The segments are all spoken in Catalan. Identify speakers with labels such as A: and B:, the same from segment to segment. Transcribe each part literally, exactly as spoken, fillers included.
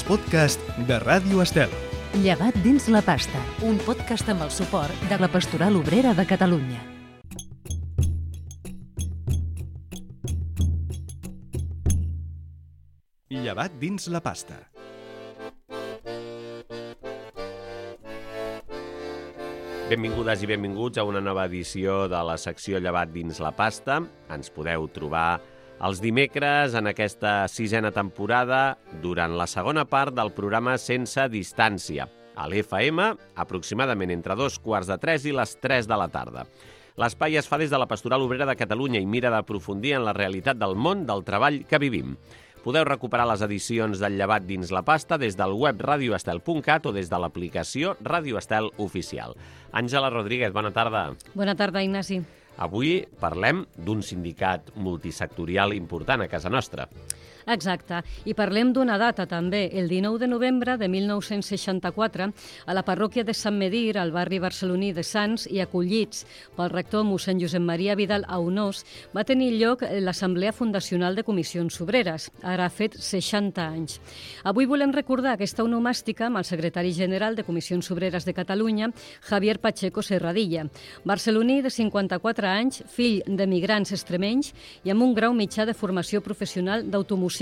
A: podcast de Ràdio Estel.
B: Llevat dins la pasta, un podcast amb el suport de la Pastoral Obrera de Catalunya.
A: Llevat dins la pasta.
C: Benvingudes i benvinguts a una nova edició de la secció Llevat dins la pasta. Ens podeu trobar els dimecres en aquesta sisena temporada durant la segona part del programa Sense Distància, a l'F M, aproximadament entre dos quarts de tres i les tres de la tarda. L'espai es fa des de la Pastoral Obrera de Catalunya i mira d'aprofundir en la realitat del món del treball que vivim. Podeu recuperar les edicions del Llevat dins la pasta des del web radio estel punt cat o des de l'aplicació Ràdio Estel Oficial. Àngela Rodríguez, bona tarda.
D: Bona tarda, Ignasi.
C: Avui parlem d'un sindicat multisectorial important a casa nostra.
D: Exacte, i parlem d'una data també, el dinou de novembre de mil nou-cents seixanta-quatre, a la parròquia de Sant Medir, al barri barceloní de Sants, i acollits pel rector mossèn Josep Maria Vidal Aunós, va tenir lloc l'Assemblea Fundacional de Comissions Obreres, ara ha fet seixanta anys. Avui volem recordar aquesta onomàstica amb el secretari general de Comissions Obreres de Catalunya, Javier Pacheco Serradilla, barceloní de cinquanta-quatre anys, fill d'emigrants extremenys i amb un grau mitjà de formació professional d'automoció.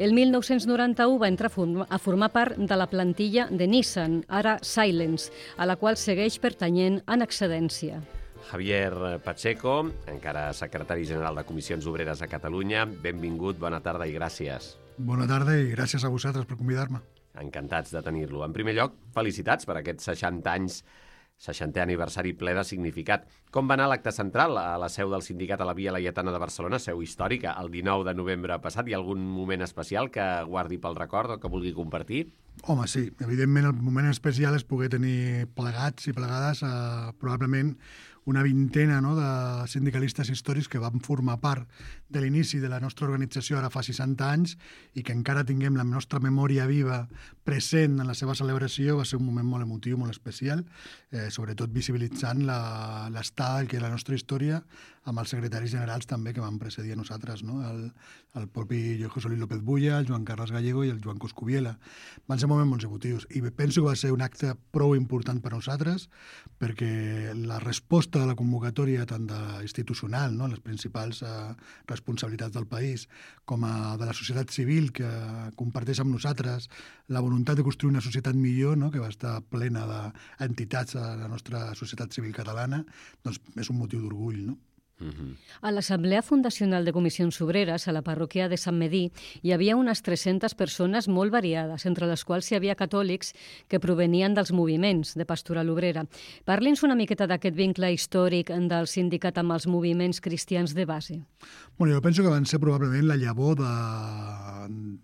D: El mil nou-cents noranta-u va entrar a formar part de la plantilla de Nissan, ara Silence, a la qual segueix pertanyent en excedència.
C: Javier Pacheco, encara secretari general de Comissions Obreres a Catalunya, benvingut, bona tarda i gràcies.
E: Bona tarda i gràcies a vosaltres per convidar-me.
C: Encantats de tenir-lo. En primer lloc, felicitats per aquests seixanta anys, seixantè aniversari ple de significat. Com va anar l'acte central a la seu del sindicat a la Via Laietana de Barcelona, seu històrica, el dinou de novembre passat? Hi ha algun moment especial que guardi pel record o que vulgui compartir?
E: Home, sí. Evidentment, el moment especial és poder tenir plegats i plegades eh, probablement una vintena no, de sindicalistes històrics que van formar part de l'inici de la nostra organització ara fa seixanta anys i que encara tinguem la nostra memòria viva present en la seva celebració. Va ser un moment molt emotiu, molt especial, eh, sobretot visibilitzant l'estada que és la nostra història amb els secretaris generals també que van precedir a nosaltres, no? el, el propi José Luis López Bulla, el Joan Carles Gallego i el Joan Coscubiela. Van ser moments molt emotius i penso que va ser un acte prou important per a nosaltres perquè la resposta de la convocatòria tant de institucional, no? les principals eh, responsabilitats del país, com a de la societat civil que comparteix amb nosaltres la voluntat de construir una societat millor, no? que va estar plena d'entitats a la nostra societat civil catalana, doncs és un motiu d'orgull, no?
D: Uh-huh. A l'Assemblea Fundacional de Comissions Obreres, a la parròquia de Sant Medir, hi havia unes tres-centes persones molt variades, entre les quals hi havia catòlics que provenien dels moviments de Pastoral Obrera. Parli'ns una miqueta d'aquest vincle històric del sindicat amb els moviments cristians de base.
E: Bueno, jo penso que van ser probablement la llavor de,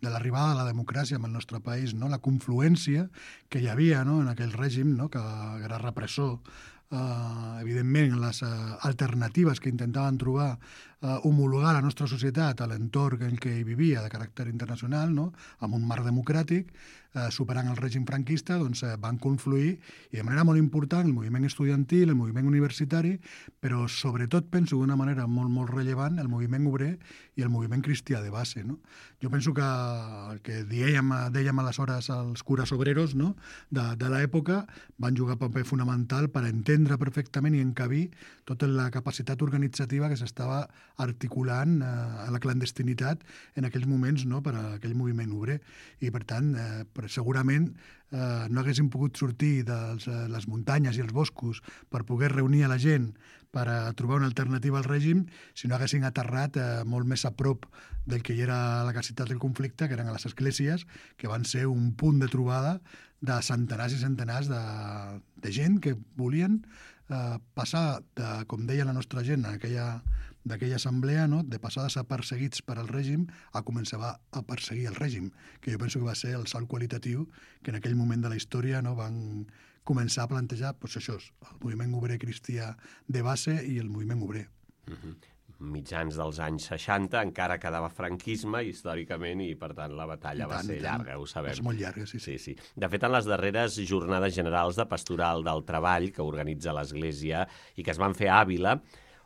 E: de l'arribada de la democràcia en el nostre país, no? La confluència que hi havia, no? en aquell règim, no? que era repressor. Uh, evidentment, les uh, alternatives que intentaven trobar uh, homologar la nostra societat a l'entorn en què hi vivia de caràcter internacional, no? amb un marc democràtic, uh, superant el règim franquista, doncs uh, van confluir i de manera molt important el moviment estudiantil, el moviment universitari, però sobretot penso d'una manera molt, molt rellevant el moviment obrer i el moviment cristià de base. No? Jo penso que el que dèiem, dèiem aleshores els cures obreros, no? de, de l'època van jugar un paper fonamental per entendre perfectament i encabir tota la capacitat organitzativa que s'estava articulant eh, a la clandestinitat en aquells moments, no? per a aquell moviment obrer. I, per tant, eh, per, segurament eh, no haguéssim pogut sortir de les muntanyes i els boscos per poder reunir a la gent per a trobar una alternativa al règim si no haguessin aterrat eh, molt més a prop del que hi era la capacitat del conflicte, que eren a les esglésies, que van ser un punt de trobada de centenars i centenars de, de gent que volien eh, passar, de, com deia la nostra gent en aquella, d'aquella assemblea, no? de passar de ser perseguits per al règim a començar a perseguir el règim, que jo penso que va ser el salt qualitatiu que en aquell moment de la història no, van començar a plantejar doncs això, el moviment obrer cristià de base i el moviment obrer.
C: Uh-huh. Mitjans dels anys seixanta encara quedava franquisme històricament i, per tant, la batalla tant, va ser llarga, ho sabem.
E: És molt llarga, sí,
C: sí. sí, sí. De fet, en les darreres jornades generals de Pastoral del Treball que organitza l'Església i que es van fer a Àvila,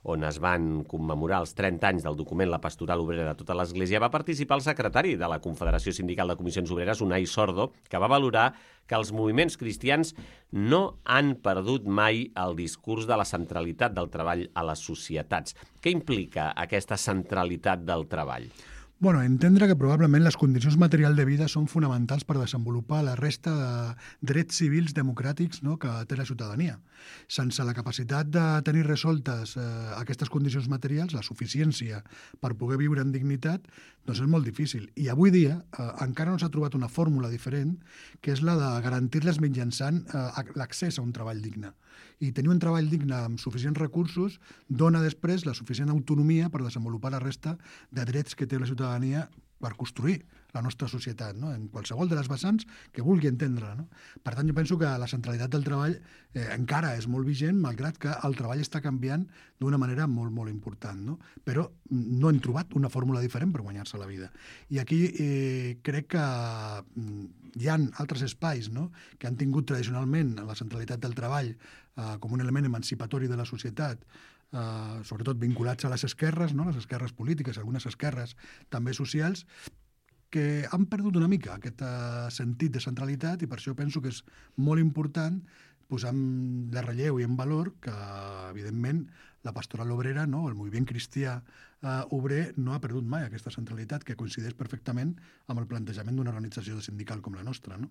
C: on es van commemorar els trenta anys del document La Pastoral Obrera de tota l'Església, va participar el secretari de la Confederació Sindical de Comissions Obreres, Unai Sordo, que va valorar que els moviments cristians no han perdut mai el discurs de la centralitat del treball a les societats. Què implica aquesta centralitat del treball?
E: Bueno, entendre que probablement les condicions materials de vida són fonamentals per desenvolupar la resta de drets civils democràtics, no?, que té la ciutadania. Sense la capacitat de tenir resoltes eh, aquestes condicions materials, la suficiència per poder viure en dignitat, doncs és molt difícil. I avui dia eh, encara no s'ha trobat una fórmula diferent, que és la de garantir-les mitjançant eh, l'accés a un treball digne. I tenir un treball digne amb suficients recursos dona després la suficient autonomia per desenvolupar la resta de drets que té la ciutadania per construir la nostra societat, no?, en qualsevol de les vessants que vulgui entendre. No? Per tant, jo penso que la centralitat del treball eh, encara és molt vigent, malgrat que el treball està canviant d'una manera molt, molt important. No? Però no hem trobat una fórmula diferent per guanyar-se la vida. I aquí eh, crec que hi ha altres espais, no?, que han tingut tradicionalment la centralitat del treball eh, com un element emancipatori de la societat, Uh, sobretot vinculats a les esquerres, no? Les esquerres polítiques, algunes esquerres també socials, que han perdut una mica aquest uh, sentit de centralitat, i per això penso que és molt important posar en de relleu i en valor que, evidentment, la pastoral obrera, no?, el moviment cristià eh, obrer, no ha perdut mai aquesta centralitat, que coincideix perfectament amb el plantejament d'una organització sindical com la nostra. No?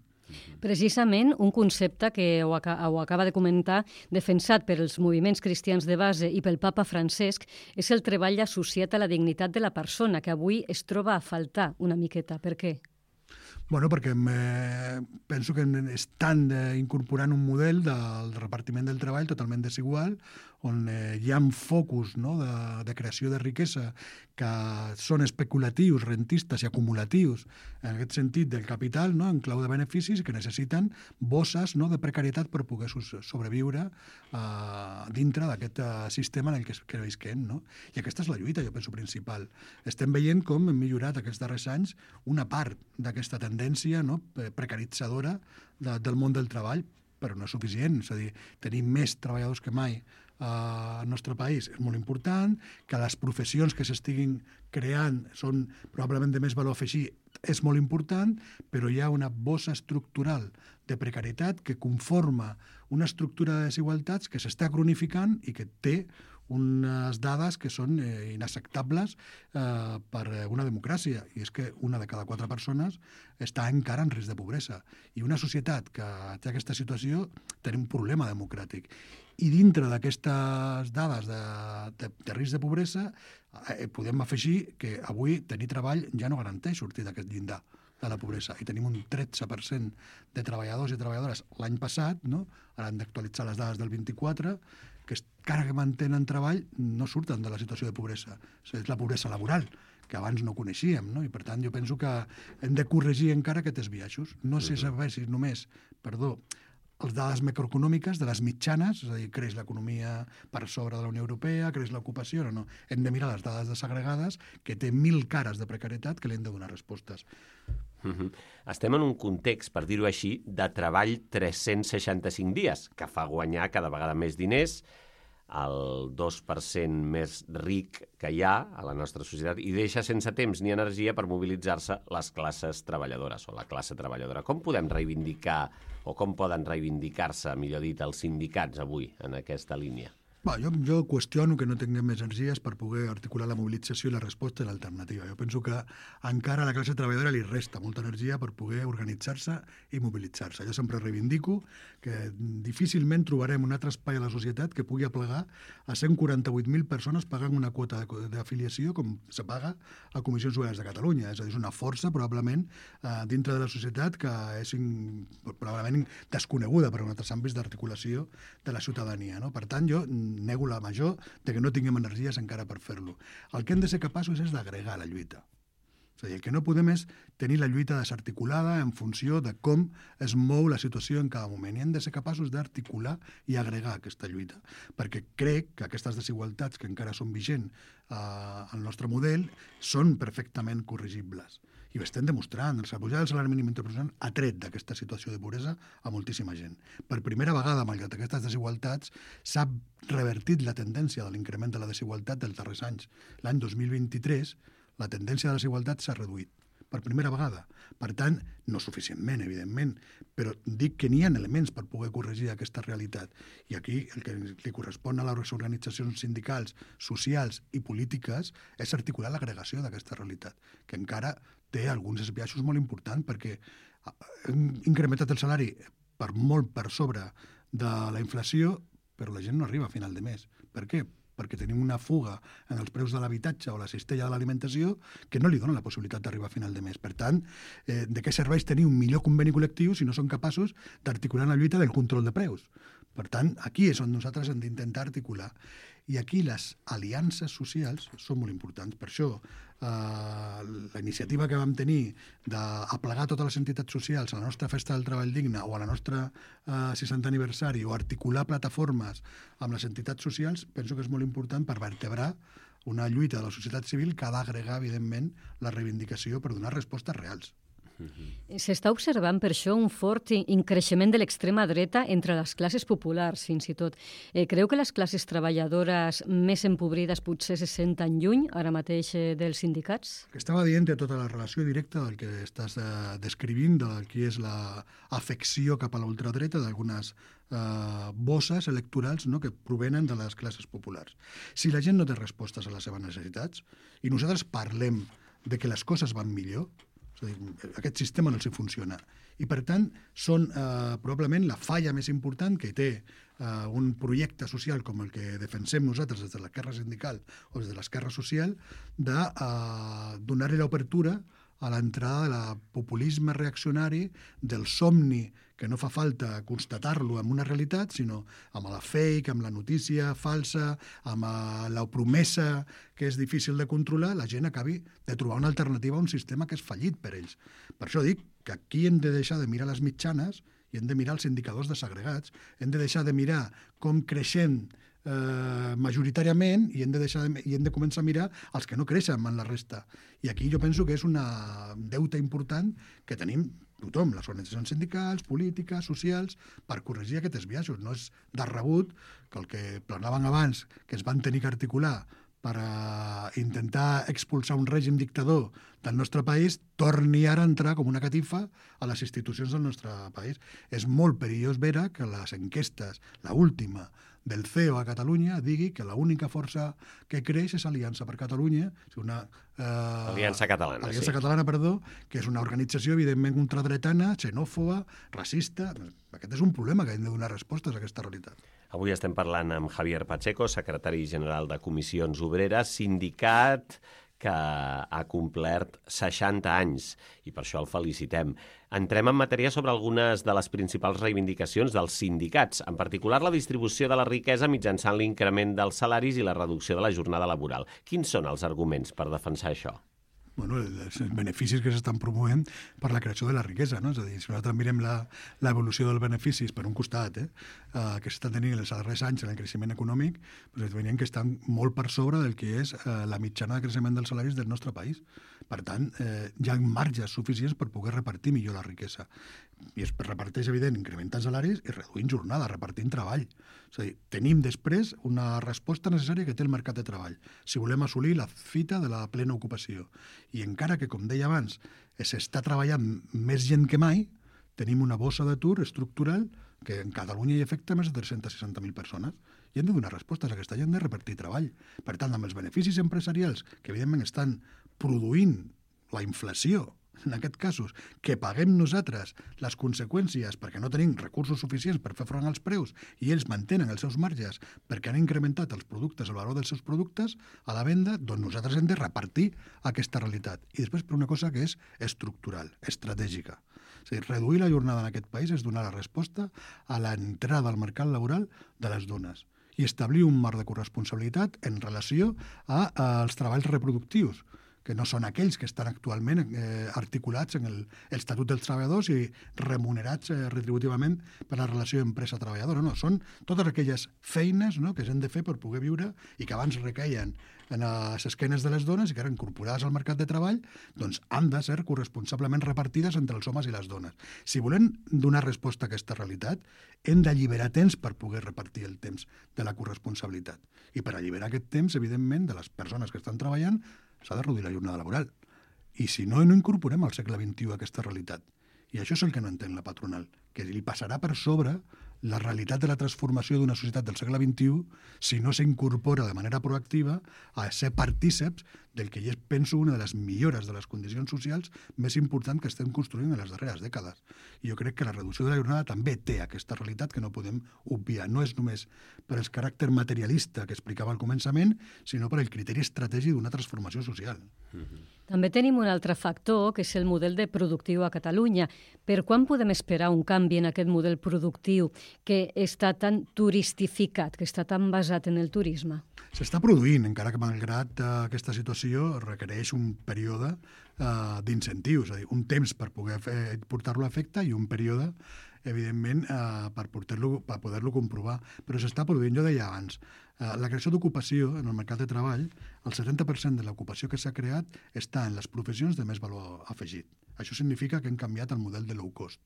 D: Precisament un concepte que ho, aca ho acaba de comentar, defensat per els moviments cristians de base i pel papa Francesc, és el treball associat a la dignitat de la persona, que avui es troba a faltar una miqueta. Per què?
E: Bueno, perquè eh, penso que estan eh, incorporant un model del repartiment del treball totalment desigual, on eh, hi ha focus, no?, de, de creació de riquesa que són especulatius, rentistes i acumulatius, en aquest sentit del capital, no?, en clau de beneficis, que necessiten bosses, no?, de precarietat per poder sobreviure eh, dintre d'aquest eh, sistema en el que, que visquem. No? I aquesta és la lluita, jo penso, principal. Estem veient com hem millorat aquests darrers anys una part d'aquesta tendència, no?, precaritzadora de, del món del treball, però no és suficient. És a dir, tenim més treballadors que mai al nostre país és molt important, que les professions que s'estiguin creant són probablement de més valor afegit, és molt important, però hi ha una bossa estructural de precarietat que conforma una estructura de desigualtats que s'està cronificant i que té unes dades que són eh, inacceptables eh, per una democràcia, i és que una de cada quatre persones està encara en risc de pobresa. I una societat que té aquesta situació té un problema democràtic. I dintre d'aquestes dades de, de, de risc de pobresa eh, podem afegir que avui tenir treball ja no garanteix sortir d'aquest llindar de la pobresa. I tenim un tretze per cent de treballadors i treballadores l'any passat, no? Ara hem d'actualitzar les dades del vint-i-quatre, que encara que mantenen treball no surten de la situació de pobresa. És la pobresa laboral, que abans no coneixíem, no? I per tant jo penso que hem de corregir encara aquests biaixos. No sé si només, perdó, les dades macroeconòmiques de les mitjanes, és a dir, creix l'economia per sobre de la Unió Europea, creix l'ocupació, no, no. Hem de mirar les dades desagregades, que té mil cares de precarietat que li hem de donar respostes.
C: Uh-huh. Estem en un context, per dir-ho així, de treball tres-cents seixanta-cinc dies, que fa guanyar cada vegada més diners, el dos per cent més ric que hi ha a la nostra societat, i deixa sense temps ni energia per mobilitzar-se les classes treballadores o la classe treballadora. Com podem reivindicar o com poden reivindicar-se, millor dit, els sindicats avui en aquesta línia?
E: Bé, jo, jo qüestiono que no tinguem més energies per poder articular la mobilització i la resposta i l'alternativa. Jo penso que encara a la classe treballadora li resta molta energia per poder organitzar-se i mobilitzar-se. Jo sempre reivindico que difícilment trobarem un altre espai a la societat que pugui aplegar a cent quaranta-vuit mil persones pagant una quota d'afiliació com se paga a Comissions Obreres de Catalunya. És a dir, és una força probablement eh, dintre de la societat que és in, probablement desconeguda per altres àmbits d'articulació de la ciutadania. No? Per tant, jo nego la major de que no tinguem energies encara per fer-lo. El que hem de ser capaços és d'agregar la lluita. És a dir, el que no podem és tenir la lluita desarticulada en funció de com es mou la situació en cada moment. I hem de ser capaços d'articular i agregar aquesta lluita. Perquè crec que aquestes desigualtats que encara són vigents eh, al nostre model són perfectament corregibles. I ho estem demostrant. La pujada del salari mínim interprofessional ha tret d'aquesta situació de pobresa a moltíssima gent. Per primera vegada, malgrat aquestes desigualtats, s'ha revertit la tendència de l'increment de la desigualtat dels darrers anys. L'any dos mil vint-i-tres, la tendència de la desigualtat s'ha reduït. Per primera vegada. Per tant, no suficientment, evidentment, però dic que n'hi ha elements per poder corregir aquesta realitat. I aquí el que li correspon a les organitzacions sindicals, socials i polítiques és articular l'agregació d'aquesta realitat, que encara té alguns esbiaixos molt importants, perquè hem incrementat el salari per molt per sobre de la inflació, però la gent no arriba a final de mes. Per què? Perquè tenim una fuga en els preus de l'habitatge o la cistella de l'alimentació que no li dona la possibilitat d'arribar a final de mes. Per tant, eh, de què serveix tenir un millor conveni col·lectiu si no som capaços d'articular la lluita del control de preus? Per tant, aquí és on nosaltres hem d'intentar articular. I aquí les aliances socials són molt importants. Per això, eh, la iniciativa que vam tenir d'aplegar totes les entitats socials a la nostra festa del treball digne o a la nostra eh, seixantè aniversari o articular plataformes amb les entitats socials, penso que és molt important per vertebrar una lluita de la societat civil que ha d'agregar, evidentment, la reivindicació per donar respostes reals.
D: S'està observant per això un fort increixement de l'extrema dreta entre les classes populars, fins i tot. Eh, creu que les classes treballadores més empobrides potser se senten lluny ara mateix eh, dels sindicats?
E: Que estava dient de tota la relació directa del que estàs eh, descrivint, del que és l'afecció cap a la ultradreta d'algunes eh, bosses electorals, no?, que provenen de les classes populars. Si la gent no té respostes a les seves necessitats i nosaltres parlem de que les coses van millor, és a dir, aquest sistema no els funciona. I, per tant, són eh, probablement la falla més important que té eh, un projecte social com el que defensem nosaltres des de l'esquerra sindical o des de l'esquerra social, de eh, donar-li l'obertura a l'entrada del populisme reaccionari, del somni, que no fa falta constatar-lo amb una realitat, sinó amb la fake, amb la notícia falsa, amb la promesa que és difícil de controlar, la gent acabi de trobar una alternativa a un sistema que és fallit per ells. Per això dic que aquí hem de deixar de mirar les mitjanes i hem de mirar els indicadors desagregats, hem de deixar de mirar com creixem eh, majoritàriament i hem, de deixar de, i hem de començar a mirar els que no creixen en la resta. I aquí jo penso que és una deute important que tenim tothom, les organitzacions sindicals, polítiques, socials, per corregir aquests biaixos. No és de rebut que el que planaven abans, que es van tenir que articular per a intentar expulsar un règim dictador del nostre país, torni ara a entrar com una catifa a les institucions del nostre país. És molt perillós veure que les enquestes, la última del C E O a Catalunya, digui que l'única força que creix és Aliança per Catalunya, una eh,
C: Aliança Catalana,
E: Aliança
C: sí.
E: Catalana, perdó, que és una organització evidentment ultradretana, xenòfoba, racista. Aquest és un problema que hem de donar respostes a aquesta realitat.
C: Avui estem parlant amb Javier Pacheco, secretari general de Comissions Obreres, sindicat que ha complert seixanta anys, i per això el felicitem. Entrem en matèria sobre algunes de les principals reivindicacions dels sindicats, en particular la distribució de la riquesa mitjançant l'increment dels salaris i la reducció de la jornada laboral. Quins són els arguments per defensar això?
E: Bueno, els beneficis que s'estan promovent per la creació de la riquesa, no? És a dir, si nosaltres mirem l'evolució dels beneficis per un costat, eh, eh, que s'estan tenint els darrers anys en el creixement econòmic, doncs veiem que estan molt per sobre del que és eh, la mitjana de creixement dels salaris del nostre país. Per tant, eh, hi ha marges suficients per poder repartir millor la riquesa. I es reparteix, evident, incrementant salaris i reduint jornada, repartint treball. És a dir, tenim després una resposta necessària que té el mercat de treball, si volem assolir la fita de la plena ocupació. I encara que, com deia abans, s'està treballant més gent que mai, tenim una bossa d'atur estructural que en Catalunya hi afecta més de tres-cents seixanta mil persones. I hem de donar respostes a aquesta gent de repartir treball. Per tant, amb els beneficis empresarials, que evidentment estan produint la inflació, en aquests casos, que paguem nosaltres les conseqüències perquè no tenim recursos suficients per fer front als preus i ells mantenen els seus marges perquè han incrementat els productes, el valor dels seus productes a la venda, doncs nosaltres hem de repartir aquesta realitat. I després per una cosa que és estructural, estratègica. És a dir, reduir la jornada en aquest país és donar la resposta a l'entrada al mercat laboral de les dones i establir un marc de corresponsabilitat en relació a, a als treballs reproductius, que no són aquells que estan actualment eh, articulats en el, el Estatut dels Treballadors i remunerats eh, retributivament per la relació empresa-treballadora. No, són totes aquelles feines, no?, que s'han de fer per poder viure i que abans requeien en les esquenes de les dones i que eren incorporades al mercat de treball, doncs han de ser corresponsablement repartides entre els homes i les dones. Si volem donar resposta a aquesta realitat, hem d'alliberar temps per poder repartir el temps de la corresponsabilitat. I per alliberar aquest temps, evidentment, de les persones que estan treballant, s'ha de reduir la jornada laboral. I si no, no incorporem al segle vint-i-u aquesta realitat. I això és el que no entén la patronal, que li passarà per sobre la realitat de la transformació d'una societat del segle vint-i-u si no s'incorpora de manera proactiva a ser partíceps del que jo penso una de les millores de les condicions socials més importants que estem construint en les darreres dècades. I jo crec que la reducció de la jornada també té aquesta realitat que no podem obviar. No és només per el caràcter materialista que explicava al començament, sinó per el criteri estratègic d'una transformació social.
D: Mm-hmm. També tenim un altre factor, que és el model de productiu a Catalunya. Per quan podem esperar un canvi en aquest model productiu que està tan turistificat, que està tan basat en el turisme?
E: S'està produint, encara que malgrat uh, aquesta situació requereix un període uh, d'incentius, és a dir, un temps per poder fer, portar-lo a efecte i un període, evidentment, uh, per, portar-lo, per poder-lo comprovar. Però s'està produint, jo deia abans, uh, la creació d'ocupació en el mercat de treball, el setanta per cent de l'ocupació que s'ha creat està en les professions de més valor afegit. Això significa que hem canviat el model de low cost.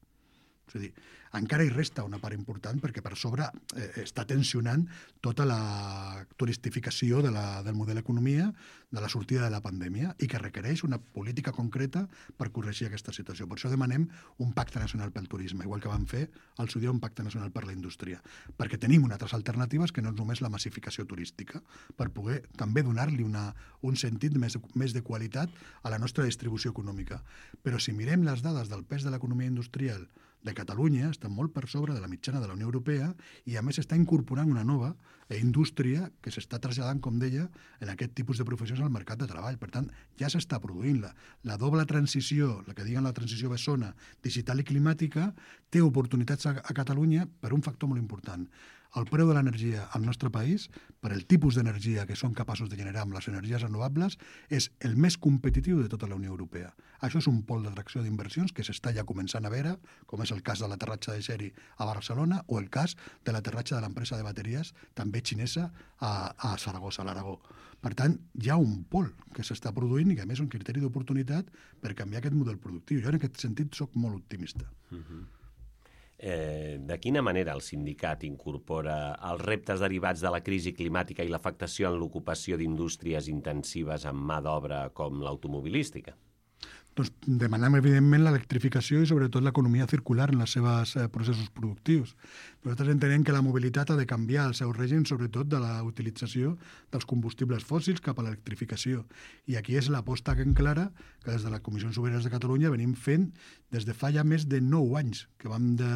E: És a dir, encara hi resta una part important perquè per sobre eh, està tensionant tota la turistificació de la, del model d'economia de la sortida de la pandèmia i que requereix una política concreta per corregir aquesta situació. Per això demanem un pacte nacional pel turisme, igual que vam fer al seu dia un pacte nacional per la indústria, perquè tenim unes altres alternatives que no és només la massificació turística, per poder també donar-li una, un sentit més, més de qualitat a la nostra distribució econòmica. Però si mirem les dades del pes de l'economia industrial de Catalunya, està molt per sobre de la mitjana de la Unió Europea i, a més, està incorporant una nova indústria que s'està traslladant, com deia, en aquest tipus de professions al mercat de treball. Per tant, ja s'està produint la, la doble transició, la que diguen la transició bessona, digital i climàtica, té oportunitats a, a Catalunya per un factor molt important. El preu de l'energia al nostre país, per el tipus d'energia que som capaços de generar amb les energies renovables, és el més competitiu de tota la Unió Europea. Això és un pol d'atracció d'inversions que s'està ja començant a veure, com és el cas de l'aterratge de Xeri a Barcelona o el cas de l'aterratge de l'empresa de bateries, també xinesa, a, a Saragossa, a l'Aragó. Per tant, hi ha un pol que s'està produint i que, a més, un criteri d'oportunitat per canviar aquest model productiu. Jo, en aquest sentit, soc molt optimista.
C: Uh-huh. Eh, de quina manera el sindicat incorpora els reptes derivats de la crisi climàtica i l'afectació en l'ocupació d'indústries intensives amb mà d'obra com l'automobilística?
E: Doncs demanem, evidentment, l'electrificació i, sobretot, l'economia circular en els seus eh, processos productius. Nosaltres entenem que la mobilitat ha de canviar el seu règim, sobretot de la utilització dels combustibles fòssils cap a l'electrificació. I aquí és l'aposta que en clara que des de les Comissions Obreres de Catalunya venim fent des de fa ja més de nou anys que vam de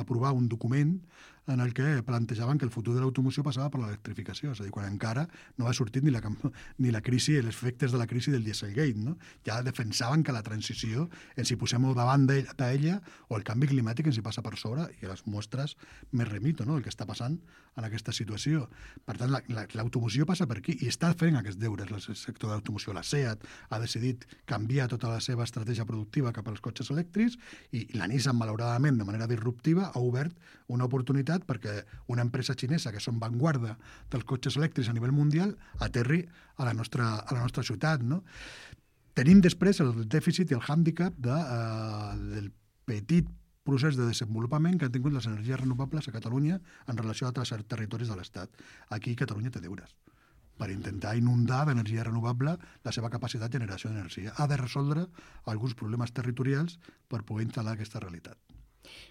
E: aprovar un document en el que plantejaven que el futur de l'automoció passava per l'electrificació, és a dir, quan encara no ha sortit ni la, ni la crisi, els efectes de la crisi del Dieselgate, no? Ja defensaven que la transició ens hi posem davant d'ella o el canvi climàtic ens hi passa per sobre i les mostres més remito, no?, el que està passant en aquesta situació. Per tant, l'automoció passa per aquí i està fent aquests deures el sector de l'automoció. La SEAT ha decidit canviar tota la seva estratègia productiva cap als cotxes elèctrics i la Nissan, malauradament, de manera disruptiva, ha obert una oportunitat perquè una empresa xinesa que són vanguarda dels cotxes elèctrics a nivell mundial aterri a la nostra, a la nostra ciutat, no? Tenim després el dèficit i el hàndicap de, eh, del petit procés de desenvolupament que han tingut les energies renovables a Catalunya en relació a altres territoris de l'Estat. Aquí Catalunya té deures per intentar inundar d'energia renovable la seva capacitat de generació d'energia. Ha de resoldre alguns problemes territorials per poder instal·lar aquesta realitat.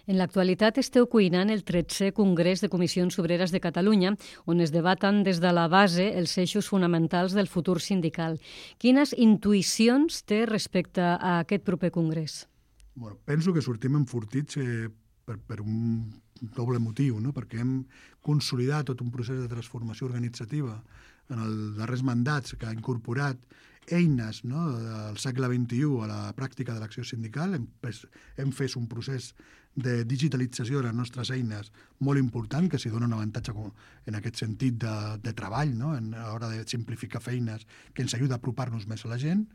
D: En l'actualitat esteu cuinant el tretzè Congrés de Comissions Obreres de Catalunya, on es debaten des de la base els eixos fonamentals del futur sindical. Quines intuïcions té respecte a aquest proper congrés?
E: Bueno, penso que sortim enfortits eh, per, per un doble motiu, no? Perquè hem consolidat tot un procés de transformació organitzativa en els darrers mandats que ha incorporat eines, no, del segle vint-i-u a la pràctica de l'acció sindical. Hem, hem fet un procés de digitalització de les nostres eines molt important, que s'hi dona un avantatge en aquest sentit de, de treball, no? En, a l'hora de simplificar feines, que ens ajuda a apropar-nos més a la gent.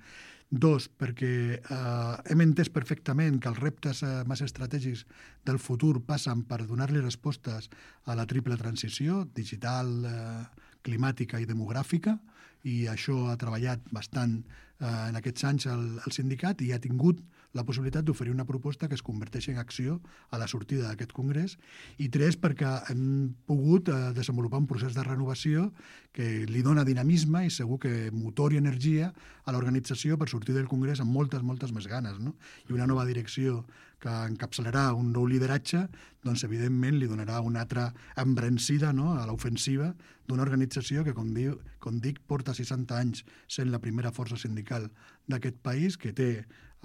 E: Dos, perquè eh, hem entès perfectament que els reptes eh, més estratègics del futur passen per donar-li respostes a la triple transició, digital, eh, climàtica i demogràfica, i això ha treballat bastant eh, en aquests anys el, el sindicat i ha tingut la possibilitat d'oferir una proposta que es converteixi en acció a la sortida d'aquest congrés. I tres, perquè hem pogut eh, desenvolupar un procés de renovació que li dona dinamisme i segur que motor i energia a l'organització per sortir del congrés amb moltes, moltes més ganes, no? I una nova direcció que encapçalarà un nou lideratge, doncs evidentment li donarà una altra embrencida, no?, a l'ofensiva d'una organització que, com, diu, com dic, porta seixanta anys sent la primera força sindical d'aquest país, que té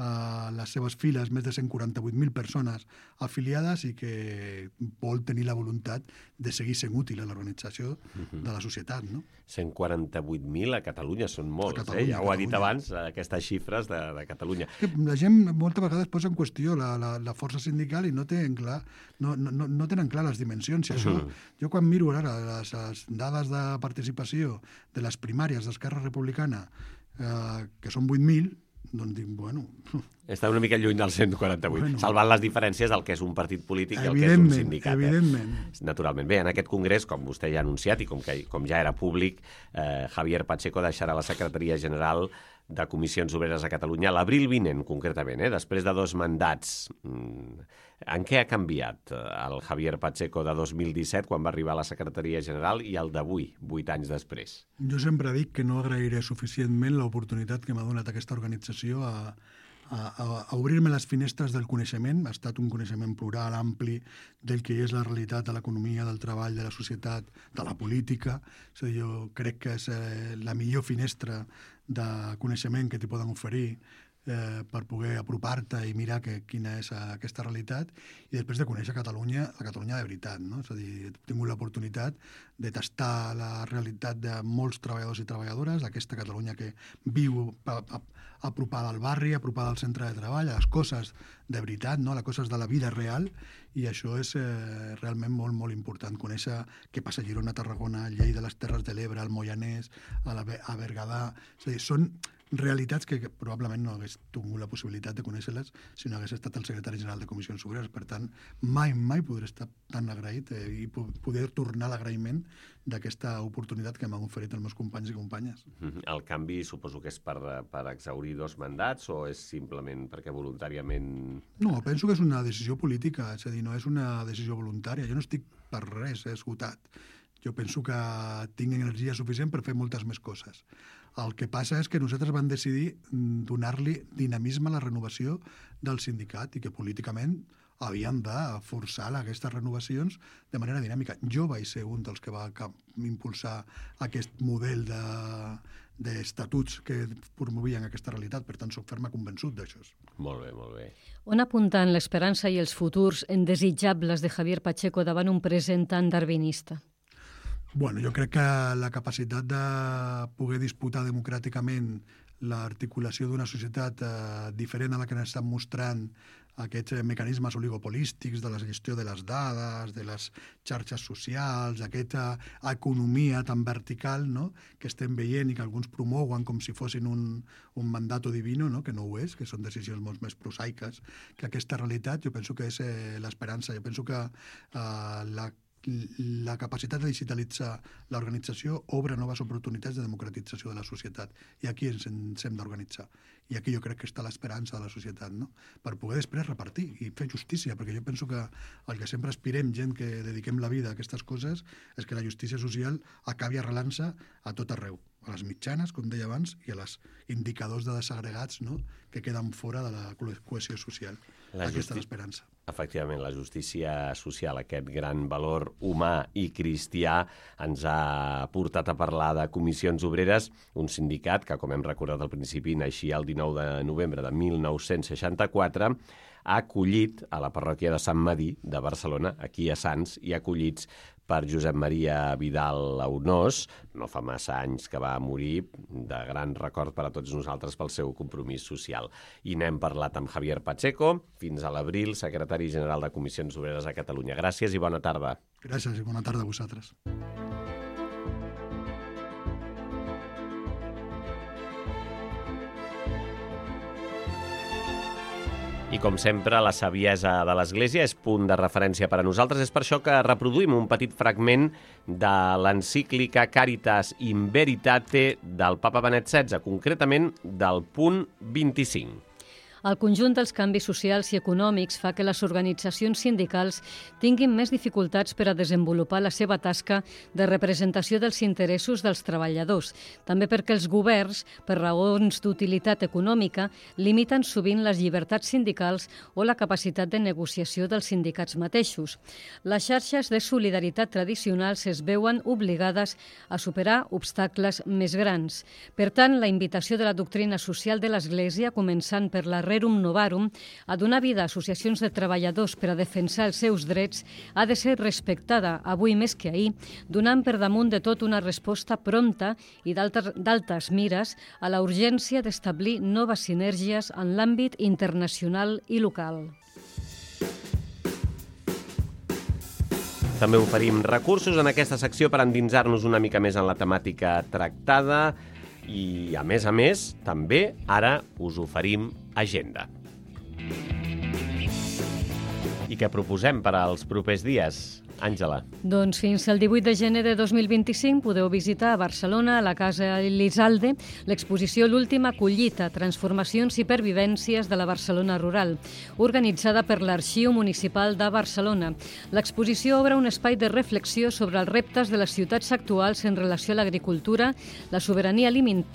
E: a les seves files més de cent quaranta-vuit mil persones afiliades i que vol tenir la voluntat de seguir sent útil a l'organització de la societat, no?
C: cent quaranta-vuit mil a Catalunya són molts, eh? Ja ho ha dit abans, aquestes xifres de, de Catalunya.
E: La gent moltes vegades posa en qüestió la, la, la força sindical i no tenen clar, no, no, no tenen clar les dimensions. I això, jo quan miro ara les, les dades de participació de les primàries d'Esquerra Republicana, eh, que són vuit mil, doncs dic, bueno...
C: Està una mica lluny del cent quaranta-vuit, bueno, salvant les diferències del que és un partit polític i el que és un sindicat.
E: Evidentment.
C: Eh? Naturalment. Bé, en aquest congrés, com vostè ja ha anunciat i com, que, com ja era públic, eh, Javier Pacheco deixarà la secretaria general de Comissions Obreres a Catalunya l'abril vinent, concretament, eh? Després de dos mandats. En què ha canviat el Javier Pacheco de dos mil disset, quan va arribar a la secretaria general, i el d'avui, vuit anys després?
E: Jo sempre dic que no agrairé suficientment l'oportunitat que m'ha donat aquesta organització a, a, a obrir-me les finestres del coneixement. Ha estat un coneixement plural, ampli, del que és la realitat de l'economia, del treball, de la societat, de la política. O sigui, jo crec que és eh, la millor finestra de coneixement que t'hi poden oferir eh, per poder apropar-te i mirar que, quina és aquesta realitat, i després de conèixer Catalunya, la Catalunya de veritat, no? És a dir, he tingut l'oportunitat de tastar la realitat de molts treballadors i treballadores, d'aquesta Catalunya que viu a, a, apropada al barri, apropada al centre de treball, a les coses de veritat, no? A les coses de la vida real, i això és eh, realment molt, molt important, conèixer què passa a Girona, a Tarragona, a Lleida, a les Terres de l'Ebre, al Moianès, a, la, a Berguedà. És a dir, són realitats que, que probablement no hagués tingut la possibilitat de conèixer-les si no hagués estat el secretari general de Comissions Obreres. Per tant, mai, mai podré estar tan agraït eh, i poder tornar l'agraïment d'aquesta oportunitat que m'han oferit els meus companys i companyes.
C: El canvi suposo que és per, per exhaurir dos mandats o és simplement perquè voluntàriament...
E: No, penso que és una decisió política, és a dir, no és una decisió voluntària. Jo no estic per res eh, esgotat. Jo penso que tinc energia suficient per fer moltes més coses. El que passa és que nosaltres vam decidir donar-li dinamisme a la renovació del sindicat i que políticament havíem de forçar aquestes renovacions de manera dinàmica. Jo vaig ser un dels que va impulsar aquest model de, d'estatuts que promovien aquesta realitat, per tant, soc ferma convençut d'això.
C: Molt bé, molt bé.
D: On apunten l'esperança i els futurs indesitjables de Javier Pacheco davant un present tan darwinista?
E: Bueno, jo crec que la capacitat de poder disputar democràticament l'articulació d'una societat eh, diferent a la que ens estan mostrant aquests mecanismes oligopolístics de la gestió de les dades, de les xarxes socials, aquesta economia tan vertical, no?, que estem veient i que alguns promouen com si fossin un, un mandato divino, no?, que no ho és, que són decisions molt més prosaiques que aquesta realitat. Jo penso que és eh, l'esperança. Jo penso que eh, la la capacitat de digitalitzar l'organització obre noves oportunitats de democratització de la societat. I aquí ens, ens hem d'organitzar. I aquí jo crec que està l'esperança de la societat, no?, per poder després repartir i fer justícia, perquè jo penso que el que sempre aspirem, gent que dediquem la vida a aquestes coses, és que la justícia social acabi arrelant-se a tot arreu, a les mitjanes, com deia abans, i a les indicadors de desagregats, no?, que queden fora de la cohesió social. La Aquesta justi... és l'esperança.
C: Efectivament, la justícia social, aquest gran valor humà i cristià, ens ha portat a parlar de Comissions Obreres, un sindicat que, com hem recordat al principi, naixia el dinou de novembre de mil nou-cents seixanta-quatre, acollit a la parròquia de Sant Medir de Barcelona, aquí a Sants, i acollits per Josep Maria Vidal Aunós, no fa massa anys que va morir, de gran record per a tots nosaltres pel seu compromís social. I n'hem parlat amb Javier Pacheco, fins a l'abril, secretari general de Comissions Obreres a Catalunya. Gràcies i bona tarda.
E: Gràcies i bona tarda a vosaltres.
C: I com sempre, la saviesa de l'Església és punt de referència per a nosaltres. És per això que reproduïm un petit fragment de l'encíclica Caritas in Veritate del papa Benet setze, concretament del punt vint-i-cinc.
D: El conjunt dels canvis socials i econòmics fa que les organitzacions sindicals tinguin més dificultats per a desenvolupar la seva tasca de representació dels interessos dels treballadors, també perquè els governs, per raons d'utilitat econòmica, limiten sovint les llibertats sindicals o la capacitat de negociació dels sindicats mateixos. Les xarxes de solidaritat tradicionals es veuen obligades a superar obstacles més grans. Per tant, la invitació de la doctrina social de l'Església, començant per la Rerum Novarum, a donar vida a associacions de treballadors per a defensar els seus drets, ha de ser respectada avui més que ahir, donant per damunt de tot una resposta prompta i d'altes mires a la urgència d'establir noves sinergies en l'àmbit internacional i local.
C: També oferim recursos en aquesta secció per endinsar-nos una mica més en la temàtica tractada i, a més a més, també ara us oferim agenda. I què proposem per als propers dies? Àngela.
D: Doncs fins al divuit de gener de dos mil vint-i-cinc podeu visitar a Barcelona, a la Casa Elizalde, l'exposició L'última collita, transformacions i pervivències de la Barcelona rural, organitzada per l'Arxiu Municipal de Barcelona. L'exposició obre un espai de reflexió sobre els reptes de les ciutats actuals en relació a l'agricultura, la sobirania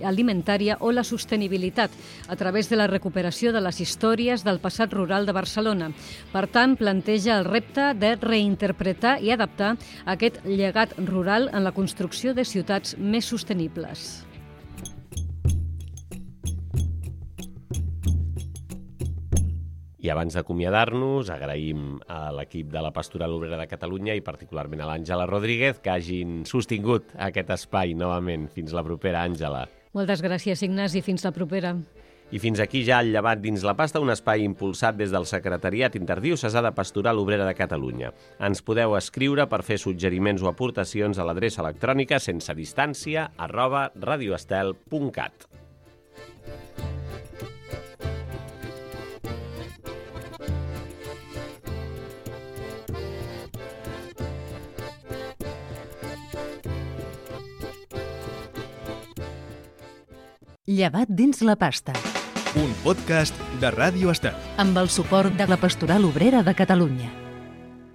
D: alimentària o la sostenibilitat, a través de la recuperació de les històries del passat rural de Barcelona. Per tant, planteja el repte de reinterpretar i adaptar aquest llegat rural en la construcció de ciutats més sostenibles.
C: I abans d'acomiadar-nos, agraïm a l'equip de la Pastoral Obrera de Catalunya i particularment a l'Àngela Rodríguez que hagin sostingut aquest espai novament. Fins la propera, Àngela.
D: Moltes gràcies, Ignasi. Fins la propera.
C: I fins aquí ja el Llevat dins la pasta, un espai impulsat des del Secretariat Interdiocesà de Pastoral Obrera de Catalunya. Ens podeu escriure per fer suggeriments o aportacions a l'adreça electrònica sense distància arroba radioestel punt cat.
B: Llevat dins la pasta.
A: Un podcast de Ràdio Estel.
B: Amb el suport de la Pastoral Obrera de Catalunya.